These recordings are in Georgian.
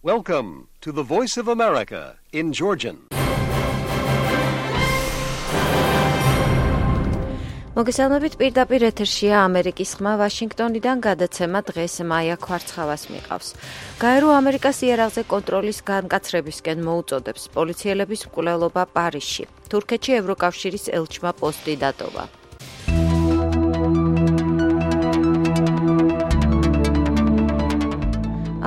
Welcome to the Voice of America in Georgian. მოგესალმებით, პირდაპირ ეთერშია ამერიკის ხმა ვაშინგტონიდან გადაცემა დღეს მაია ქვარცხავას მიყავს. გაერო ამერიკას იარაღზე კონტროლის განკაცრებისკენ მოუწოდებს პოლიციელების მკვლელობა პარიზში. თურქეთში ევროკავშირის ელჩმა პოსტი დატოვა.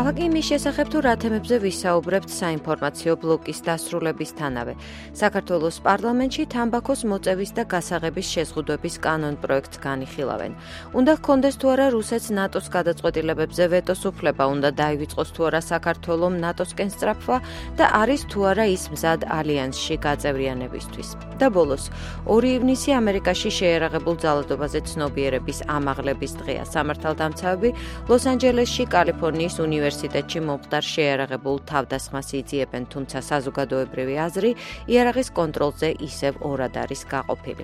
ახლა იმის შესახებ თუ რა თემებზე ვისაუბრებთ საინფორმაციო ბლოკის დასრულებისთანავე. საქართველოს პარლამენტში თამბაქოს მოწევის და გასაღების შეზღუდვების კანონ პროექტს განიხილავენ. უნდა ჰქონდეს თუ არა რუსეთს ნატოს გადაწყვეტილებებზე ვეტოს უფლება, უნდა დაივიწყოს თუ არა საქართველოს ნატოსკენ სწრაფვა და არის თუ არა ის მზად ალიანსში გაწევრიანებისთვის. და ბოლოს 2 ივნისი ამერიკაში შეერაღებულ ძალადობაზე ცნობიერების ამაღლების დღეა. სამართალდამცავები ლოს-ანჯელესში კალიფორნიის უნივერსიტეტში მომხდარ შეერაღებულ თავდასხმას იძიებენ, თუმცა საზოგადოებრივი აზრი იარაღის კონტროლზე ისევ ორად არის გაყოფილი.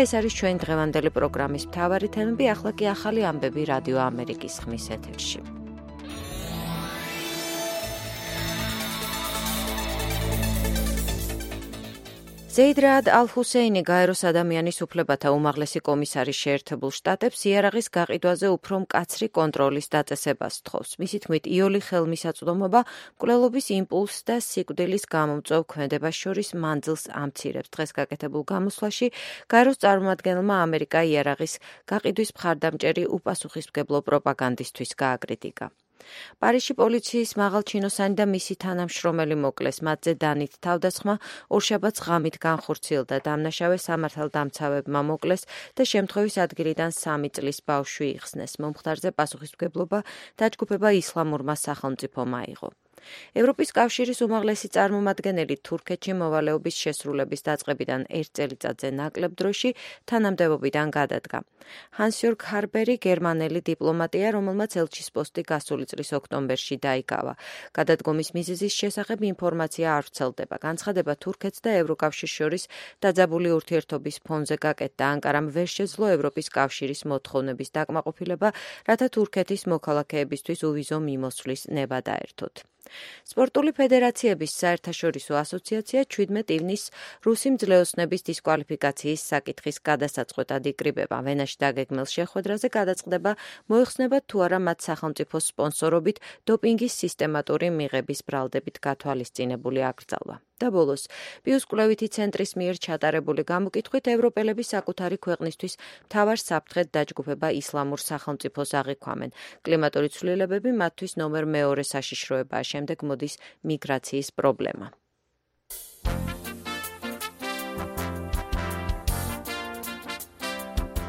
ეს არის ჩვენი დღევანდელი პროგრამის მთავარი თემები, ახლა კი ახალი ამბები რადიო ამერიკის ხმის ეთერში. ზეიდ რაად ალ-ჰუსეინი გაეროს ადამიანის უფლებათა უმაღლესი კომისარის შეერთებულ შტატებს იარაღის გაყიდვაზე უფრო მკაცრი კონტროლის დაწესებას თხოვს. მისი თქმით, იოლი ხელმისაწვდომობა მკვლელობის იმპულსს და სიკვდილის გამომწვევ ქმედებას შორის მანძილს ამცირებს. დღეს გაკეთებულ გამოსვლაში გაეროს წარმომადგენელმა ამერიკა იარაღის გაყიდვის მხარდამჭერი უპასუხისმგებლო პროპაგანდისთვის გააკრიტიკა. პარიზში პოლიციის მაღალჩინოსანი და მისი თანამშრომელი მოკლეს, მათზე დანით თავდასხმა ორშაბათს ღამით განხორციელდა. დამნაშავე სამართალდამცავებმა მოკლეს და შემთხვევის ადგილიდან 3 წლის ბავშვი იხსნეს. მომხდარზე პასუხისმგებლობა დაჯგუფება ისლამურმა სახელმწიფომ აიღო. ევროპის კავშირის უმაღლესი წარმომადგენელი თურქეთში მოვალეობის შესრულების დაწყებიდან 1 წელიწადზე ნაკლებ დროში თანამდებობიდან გადადგა. ჰანს-იორგ ჰარბერი გერმანელი დიპლომატია, რომელმაც ელჩის პოსტი გასული წლის ოქტომბერში დაიკავა. გადადგომის მიზეზის შესახებ ინფორმაცია არ ვრცელდება. განცხადება თურქეთს და ევროკავშირს შორის დაძაბული ურთიერთობის ფონზე გაკეთდა. ანკარამ ვერ შეძლო ევროპის კავშირის მოთხოვნების დაკმაყოფილება, რათა თურქეთის მოქალაქეებისთვის უვიზო მიმოსვლის ნება დაერთოთ. სპორტული ფედერაციების საერთაშორისო ასოციაცია 17 ივნისს რუსი მძლეოსნების დისკვალიფიკაციის საკითხის გადასაწყვეტად იკრიბება. ვენაში დაგეგმილ შეხვედრაზე გადაწყდება, მოიხსნება თუ არა მათ სახელმწიფოს სპონსორობით დოპინგის სისტემატური მიღების ბრალდებით გათვალისწინებული აკრძალვა. და ბოლოს, პიუს კვლევითი ცენტრის მიერ ჩატარებული გამოკითხვით ევროპელები საკუთარი ქვეყნისთვის მთავარ საფრთხედ დაჯგუფება ისლამურ სახელმწიფოს აღიქვამენ. კლიმატური ცვლილებები მათთვის ნომერ მეორე საშიშროებაა, შემდეგ მოდის მიგრაციის პრობლემა.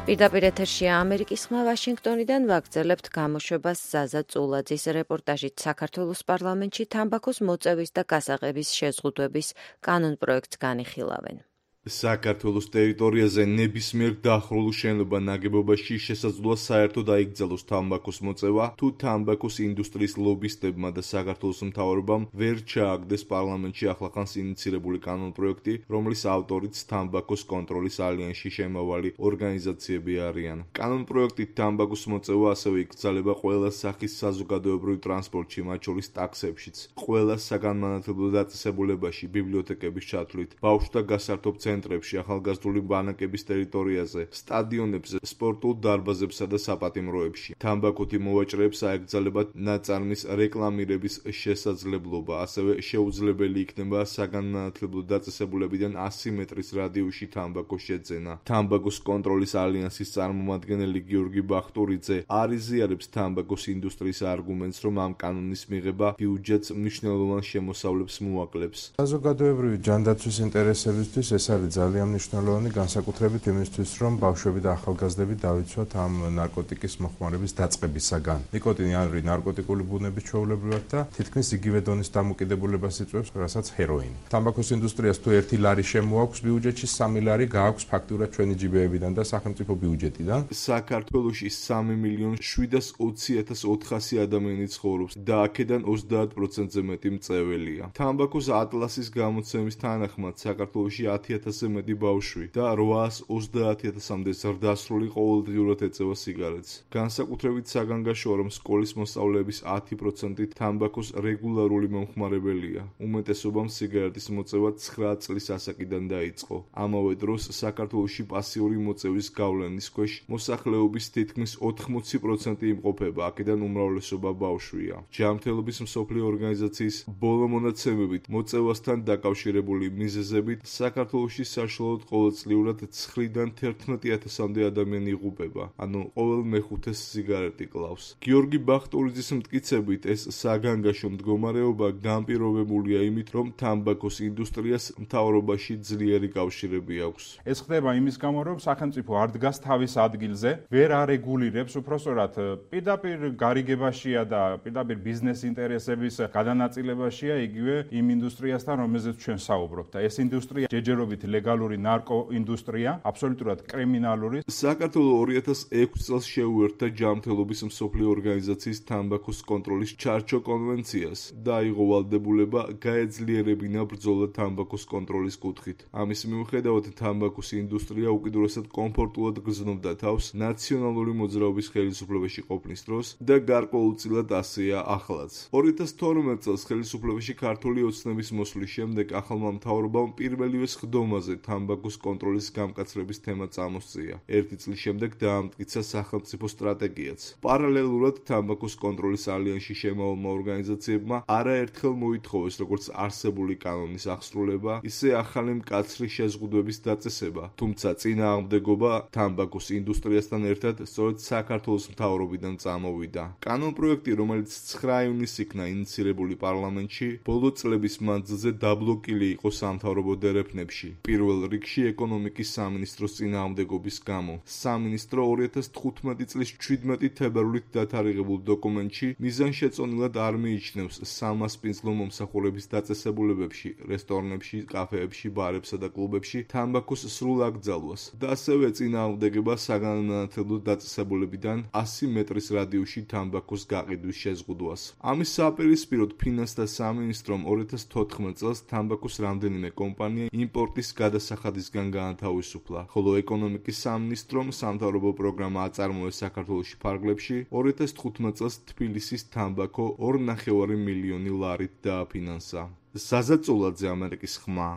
პირდაპირ ეთერშია ამერიკის ხმა ვაშინგტონიდან ვაგრძელებთ გამოშვებას ზაზა წულაძის რეპორტაჟით. საქართველოს პარლამენტში თამბაქოს მოწევის და გასაღების შეზღუდვების კანონ პროექტს განიხილავენ. საქართველოს ტერიტორიაზე ნებისმიერ დახრულ შენობა ნაგებობაში შესაძლოა საერთოდ აიკრძალოს თამბაქოს მოწევა, თუ თამბაქოს ინდუსტრიის ლობისტებმა და საქართველოს მთავრობამ ვერ ჩააგდეს პარლამენტში ახლახანს ინიცირებული კანონპროექტი, რომლის ავტორიც თამბაქოს კონტროლის ალიანსში შემავალი ორგანიზაციები არიან. კანონპროექტით თამბაქოს მოწევა ასევე იკრძალება ყველა სახის საზოგადოებრივ ტრანსპორტში, მათ შორის ტაქსებშიც, ყველა საგანმანათლებლო დაწესებულებაში, ბიბლიოთეკების ჩათვლით, ბავშვთა გასართობ ცენტრებში, ახალგაზრდული ბანაკების ტერიტორიაზე, სტადიონებზე, სპორტულ დარბაზებსა და საპატიმროებში. თამბაქოთი მოვაჭრეებს აეკრძალებათ ნაწარმის რეკლამირების შესაძლებლობა, ასევე შეუძლებელი იქნება საგანმანათლებლო დაწესებულებიდან 100 მეტრის რადიუსში თამბაქოს შეძენა. თამბაქოს კონტროლის ალიანსის წარმომადგენელი გიორგი ბახტურიძე არ იზიარებს თამბაქოს ინდუსტრიის არგუმენტს, რომ ამ კანონის მიღება ბიუჯეტს მნიშვნელოვან შემოსავლებს მოაკლებს. საზოგადოებრივი ჯანდაცვის ინტერესებისთვის ეს არის ძალიან მნიშვნელოვანი, განსაკუთრებით იმისთვის, რომ ბავშვები და ახალგაზრდები დავიცვათ ამ ნარკოტიკის მოხმარების დაწყებისაგან. ნიკოტინი არის ნარკოტიკული ბუნების ჩვეულებრივად და თითქმის იგივე დონის დამოკიდებულებას იწვევს, რასაც ჰეროინი. თამბაქოს ინდუსტრიას თუ 1 ლარი შემოაქვს ბიუჯეტში, 3 ლარი გააქვს ფაქტურად ჩვენი ჯიბეებიდან და სახელმწიფო ბიუჯეტიდან. საქართველოში 3.720.400 ადამიანი ცხოვრობს და აქედან 30%-ზე მეტი მწეველია. თამბაქოს ატლასის გამოცემის თანახმად საქართველოში 10 100,000-ზე მეტი ბავშვი და 830,000-მდე ზრდასრული ყოველდღიურად ეწევა სიგარეტს. განსაკუთრებით საგანგაშოა, რომ სკოლის მოსწავლეების 10% თამბაქოს რეგულარული მომხმარებელია. უმეტესობამ სიგარეტის მოწევა 9 წლის ასაკიდან დაიწყო. ამავე დროს საქართველოში პასიური მოწევის გავლენის ქვეშ მოსახლეობის თითქმის 80% იმყოფება, აქედან უმრავლესობა ბავშვია. ჯანმრთელობის მსოფლიო ორგანიზაციის ბოლო მონაცემებით მოწევასთან დაკავშირებული მიზეზებით საქართველოში საშუალოდ ყოველწლიურად 9-დან 11,000-მდე ადამიანი იღუპება, ანუ ყოველ მეხუთეს სიგარეტი კლავს. გიორგი ბახტურიძის მტკიცებით, ეს საგანგაშო მდგომარეობა განპირობებულია იმით, რომ თამბაქოს ინდუსტრიას მთავრობაში ძლიერი კავშირები აქვს. ეს ხდება იმის გამო, რომ სახელმწიფო არ დგას თავის ადგილზე, ვერ არეგულირებს, უпростоრად პირდაპირ გარიგებაშია და პირდაპირ ბიზნეს ინტერესების გადანაწილებაშია იგივე იმ ინდუსტრიასთან, რომელზეც ჩვენ საუბრობთ. და ეს ინდუსტრია ჯერჯერობით ლეგალური ნარკოინდუსტრია, აბსოლუტურად კრიმინალური. საქართველო 2006 წელს შეუერთდა ჯანმრთელობის მსოფლიო ორგანიზაციის თამბაქოს კონტროლის ჩარჩო კონვენციას და აიღო ვალდებულება გაეძლიერებინა ბრძოლა თამბაქოს კონტროლის კუთხით. ამის მიუხედავად თამბაქოს ინდუსტრია უკიდურესად კომფორტულად გრძნობდა თავს ნაციონალური მოძრაობის ხელისუფლებაში ყოფნის დროს და გარკვეულწილად ასეა ახლაც. 2012 წელს ხელისუფლებაში ქართული ოცნების მოსვლის შემდეგ ახალმა მთავრობამ პირველივე სხდომაზე თამბაქოს კონტროლის გამკაცრების თემა წამოსწია. 1 წლის შემდეგ დაამტკიცა სახელმწიფო სტრატეგიაც. პარალელურად თამბაქოს კონტროლის ალიანსში შემავალმა ორგანიზაციებმა არაერთხელ მოითხოვეს როგორც არსებული კანონის აღსრულება, ისე ახალი მკაცრი შეზღუდვების დაწესება. თუმცა წინააღმდეგობა თამბაქოს ინდუსტრიასთან ერთად სწორედ საქართველოს მთავრობიდან წამოვიდა. კანონპროექტი, რომელიც 9 ივნისს იქნა ინიცირებული პარლამენტში, ბოლო წლების მანძილზე დაბლოკილი იყო სამთავრობო დერეფნებში. პირველ რიგში ეკონომიკის სამინისტროს წინააღმდეგობის გამო. სამინისტრო 2015 წლის 17 თებერვლით დათარიღებულ დოკუმენტში მიზანშეწონილად არ მიიჩნევს სამასპინძლო მომსახურების დაწესებულებებში, რესტორნებში, კაფეებში, ბარებსა და კლუბებში თამბაქოს სრულ აკრძალვას და ასევე წინააღმდეგება საგანმანათლებლო დაწესებულებიდან 100 მეტრის რადიუსში თამბაქოს გაყიდვის შეზღუდვას. ამის საპირისპიროდ ფინანსთა სამინისტრომ 2014 წელს თამბაქოს რამდენიმე კომპანია იმპორტის გადასახადისგან გაანთავისუფლა, ხოლო ეკონომიკის სამინისტრომ სამთავრობო პროგრამა აწარმოეს საქართველოში ფარგლებში 2015 წელს თბილისის თამბაქო 2,5 მილიონი ლარით დააფინანსა. საზაწოლაძე, ამერიკის ხმა,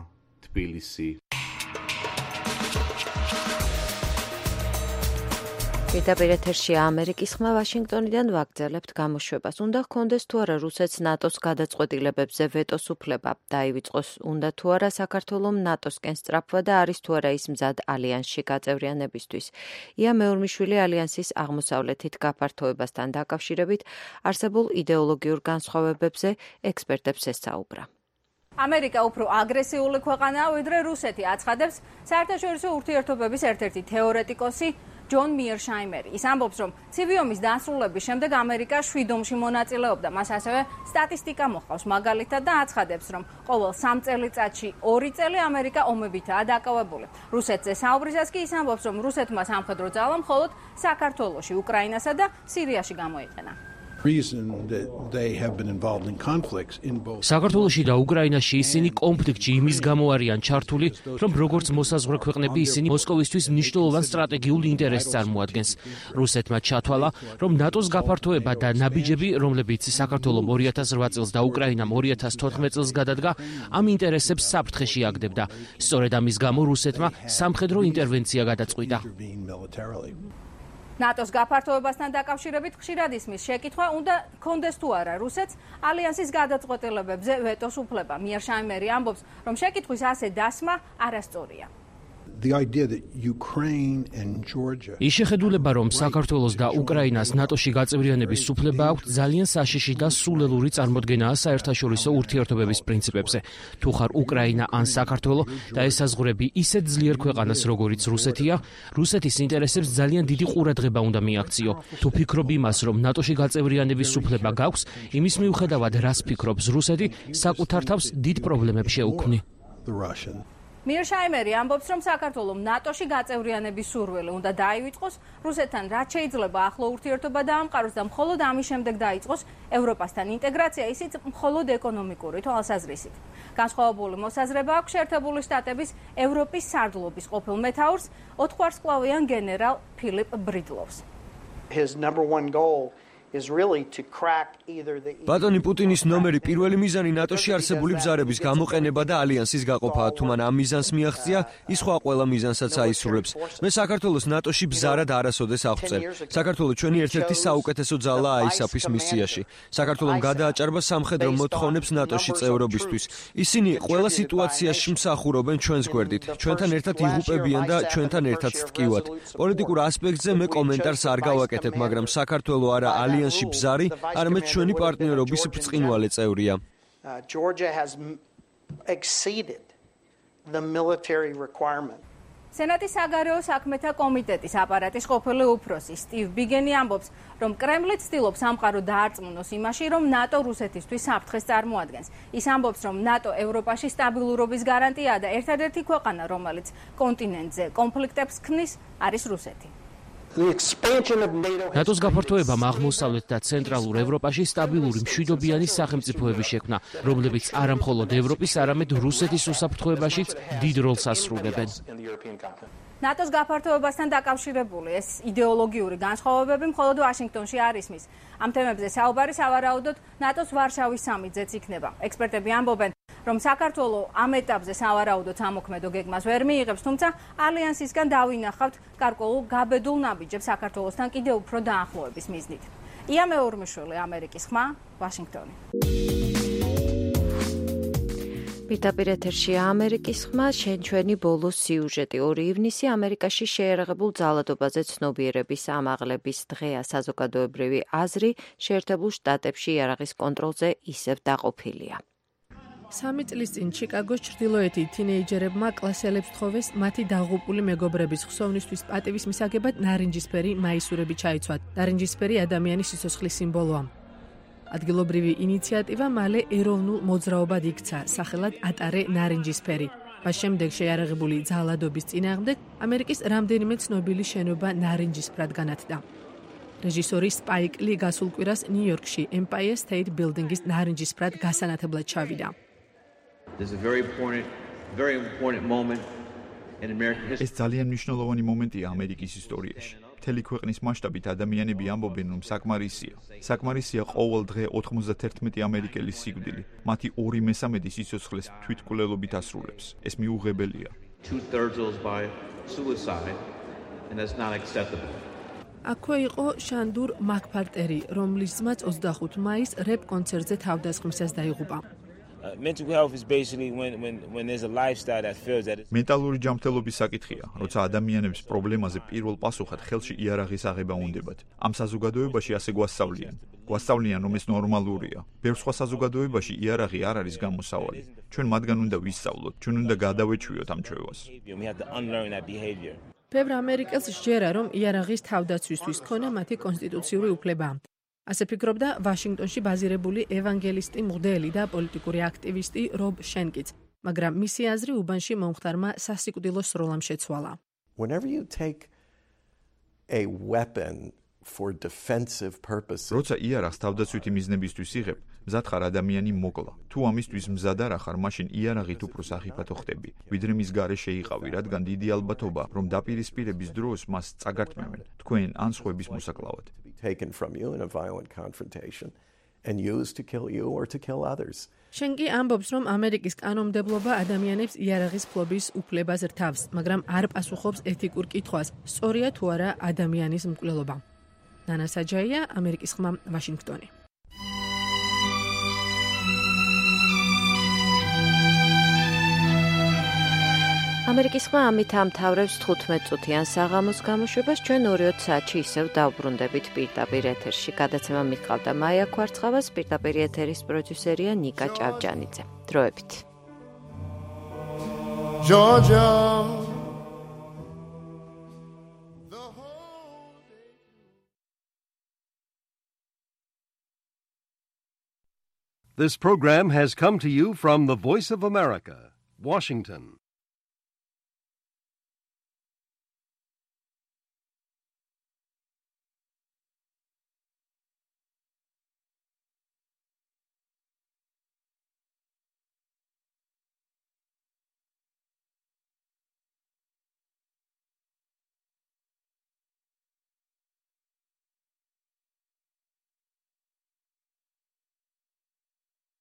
თბილისი. პირდაპირ ეთერში ამერიკის ხმა ვაშინგტონიდან ვაგრძელებთ გამოშვებას. უნდა ჰქონდეს თუ არა რუსეთს ნატოს გადაწყვეტილებებზე ვეტოს უფლება. დაივიწყოს უნდა თუ არა საქართველომ ნატოსკენ სწრაფვა და არის თუ არა ის მზად ალიანსში გაწევრიანებისთვის. ია მეორმიშვილი ალიანსის აღმოსავლეთით გაფართოებასთან დაკავშირებით არსებულ იდეოლოგიურ განსხვავებებზე ექსპერტებს ესაუბრა. ამერიკა უფრო აგრესიული ქვეყანაა, ვიდრე რუსეთი, აცხადებს საერთაშორისო ურთიერთობების ერთ-ერთი თეორეტიკოსი ჯონ მიერშაიმერი. ის ამბობს, რომ ცივი ომის დასრულების შემდეგ ამერიკა 7 ომში მონაწილეობდა. მას ასევე სტატისტიკა მოჰყავს მაგალითად და აცხადებს, რომ ყოველ 3 წელიწადში 2 წელი ამერიკა ომებითაა დაკავებული. რუსეთზე საუბრისას კი ის ამბობს, რომ რუსეთმა სამხედრო ძალა მხოლოდ საქართველოში, უკრაინასა და სირიაში გამოიყენა. საქართველოში და უკრაინაში ისინი კონფლიქტში იმის გამო არიან ჩართული, რომ როგორც მოსაზღვრე ქვეყნები ისინი მოსკოვისთვის მნიშვნელოვან სტრატეგიულ ინტერესს წარმოადგენს. რუსეთმა ჩათვალა, რომ ნატოს გაფართოება და ნაბიჯები, რომლებიც საქართველომ 2008 წელს და უკრაინამ 2014 წელს გადადგა, ამ ინტერესებს საფრთხეში აგდებდა. სწორედ ამის გამო რუსეთმა სამხედრო ინტერვენცია გადაწყვიტა. ნატოს გაფართოებასთან დაკავშირებით ხშირად ისმის შეკითხვა, უნდა ჰქონდეს თუ არა რუსეთს ალიანსის გადაწყვეტილებებზე ვეტოს უფლება. მიერშაიმერი ამბობს, რომ შეკითხვის ასე დასმა არასწორია. ის შეხედულება, რომ საქართველოს და უკრაინას ნატოში გაწევრიანების უფლება აქვთ, ძალიან საშიში და სულელური წარმოდგენაა საერთაშორისო ურთიერთობების პრინციპებზე. თუ ხარ უკრაინა ან საქართველო და ესაზღვრები ისეთ ძლიერ ქვეყანას, როგორიც რუსეთია, რუსეთის ინტერესებს ძალიან დიდი ყურადღება უნდა მიაქციო. თუ ფიქრობ იმას, რომ ნატოში გაწევრიანების უფლება გაქვს, იმის მიუხედავად, რას ფიქრობს რუსეთი, საკუთარ თავს დიდ პრობლემებს შეუქმნი. მიერშაიმერი ამბობს, რომ საქართველოს ნატოში გაწევრიანების სურვილი უნდა დაივიწყოს, რუსეთთან რაც შეიძლება ახლო ურთიერთობა დაამყაროს და მხოლოდ ამის შემდეგ დაიწყოს ევროპასთან ინტეგრაცია, ისიც მხოლოდ ეკონომიკური თვალსაზრისით. განსხვავებული მოსაზრება აქვს შეერთებული შტატების ევროპის სარდლობის ყოფილ მეთაურს, 4 ვარსკვლავიან გენერალ ფილიპ ბრიდლოვს. His number one goal is really to crack either the ბატონი პუტინის ნომერი პირველი მიზანი ნატოში არსებული ბზარების გამოყენება და ალიანსის გაყოფაა. თუ მან ამ მიზანს მიაღწია, ის სხვა ყველა მიზანსაც აისრულებს. მე საქართველოს ნატოში ბზარად არასოდეს აღწევ. საქართველოს ჩვენი ერთ-ერთი საუკეთესო ძალაა ISAF-ის მისიაში. საქართველოს გადააჭარბა სამხედრო მოთხოვნებს ნატოში წევრობისთვის. ისინი ყველა სიტუაციაში მსახურობენ ჩვენს გვერდით. ჩვენთან ერთად იღუპებიან და ჩვენთან ერთად ტკივათ. პოლიტიკურ ასპექტზე მე კომენტარს არ გავაკეთებ, მაგრამ საქართველოს არა ალიანსში ბზარი, არამედ ჩვენი პარტნიორობის ბრწყინვალე წევრია. Georgia has exceeded the military requirement. სენატის საგარეო საქმეთა კომიტეტის აპარატის ყოფილი უფროსი სტივ ბიგენი ამბობს, რომ კრემლი ცდილობს სამყარო დაარწმუნოს იმაში, რომ ნატო რუსეთისთვის საფრთხეს წარმოადგენს. ის ამბობს, რომ ნატო ევროპაში სტაბილურობის გარანტია და ერთადერთი ქვეყანა, რომელიც კონტინენტზე კონფლიქტებს ქმნის, არის რუსეთი. ნატოს გაფართოებამ აღმოსავლეთ და ცენტრალურ ევროპაში სტაბილური მშვიდობიანი სახელმწიფოები შექმნა, რომლებიც არა მხოლოდ ევროპის, არამედ რუსეთის უსაფრთხოებაშიც დიდ როლს ასრულებენ. ნატოს გაფართოებასთან დაკავშირებული ეს იდეოლოგიური განსხვავებები მხოლოდ ვაშინგტონში არ ისმის. ამ თემებზე საუბარი სავარაუდოდ ნატოს ვარშავის სამიტზეც იქნება. ექსპერტები ამბობენ, რომ საქართველოს ამ ეტაპზე სავარაუდოდ ამოქმედო გეგმას ვერ მიიღებს, თუმცა ალიანსისგან დავინახავთ გარკვეულ გაბედულ ნაბიჯებს საქართველოსთან კიდევ უფრო დაახლოების მიზნით. ია მეორმიშვილი, ამერიკის ხმა, ვაშინგტონი. პირდაპირ ეთერში ამერიკის ხმა, ჩვენი ბოლო სიუჟეტი. 2 ივნისი ამერიკაში შეიარაღებულ ძალადობაზე ცნობიერების ამაღლების დღეა. საზოგადოებრივი აზრი შეერთებულ შტატებში იარაღის კონტროლზე ისევ დაყოფილია. 3 წლის წინ ჩიკაგოს ჩრდილოეთი თინეიჯერებმა კლასელებს თხოვეს მათი დაღუპული მეგობრების ხსოვნისთვის პატივის მისაგებად ნარინჯისფერი მაისურები ჩაიცვათ. ნარინჯისფერი ადამიანის სიცოცხლის სიმბოლოა. ადგილობრივი ინიციატივა მალე ეროვნულ მოძრაობად იქცა, სახელად ატარე ნარინჯისფერი. მას შემდეგ შეიარაღებული ძალადობის წინააღმდეგ ამერიკის რამდენიმე ცნობილი შენობა ნარინჯისფრად განათდა. რეჟისორი სპაიკ ლი გასულ კვირას ნიუ-იორკში Empire State Building-ის ნარინჯისფრად გასანათებლად ჩავიდა. ეს ძალიან მნიშვნელოვანი მომენტია ამერიკის ისტორიაში. მთელი ქვეყნის მასშტაბით ადამიანები ამბობენ, რომ საკმარისია ყოველ დღე 91 ამერიკელის სიკვდილი. მათი 2/3 სიცოცხლეს თვითმკვლელობით ასრულებს. ეს მიუღებელია. აქვე იყო შანდურ მაკფარტერი, რომლის ძმაც 25 მაისს რეპ კონცერტზე თავდასხმისას დაიღუპა. მენტალური ჯანმრთელობის საკითხია, როცა ადამიანებს პრობლემაზე პირველ პასუხად ხელში იარაღის აღება უნდებათ. ამ საზოგადოებაში ასე გვასწავლიან, რომ ეს ნორმალურია. ბევრ სხვა საზოგადოებაში იარაღი არ არის გამოსავალი. ჩვენ მათგან უნდა ვისწავლოთ, ჩვენ უნდა გადავეჩვიოთ ამ ჩვევას. ბევრ ამერიკელს სჯერა, რომ იარაღის თავდაცვისთვის ქონა მათი კონსტიტუციური უფლება. ასე ფიქრობდა ვაშინგტონში ბაზირებული ევანგელისტი მღვდელი და პოლიტიკური აქტივისტი რობ შენკიც, მაგრამ მისი აზრი უბანში მომხდარმა სასიკვდილო სროლამ შეცვალა. როცა იარაღს თავდაცვითი მიზნებისთვის იღებ, მზად ხარ ადამიანი მოკლა. თუ ამისთვის მზად არ ხარ, მაშინ იარაღით უფრო სახიფათო ხდები, ვიდრე მის გარეშე იყავი, რადგან დიდი ალბათობა, რომ დაპირისპირების დროს მას წაგართმევენ თქვენ ან სხვების მოსაკლავად. შენკი ამბობს, რომ ამერიკის კანონმდებლობა ადამიანებს იარაღის ფლობის უფლებას რთავს, მაგრამ არ პასუხობს ეთიკურ კითხვას, სწორია თუ არა ადამიანის მკვლელობა. ნანა საჯაია, ამერიკის ხმა, ვაშინგტონი. ამერიკის ხმა ამით ამთავრებს 15 წუთიან საღამოს გამოშვებას. ჩვენ 2 საათში ისევ დავბრუნდებით პირდაპირ ეთერში. გადაცემა მიყავდა მაია ქვარცხავას, პირდაპირ ეთერის პროდიუსერია ნიკა ჭავჭანიძე. დროებით. Georgia. This program has come to you from the Voice of America, Washington.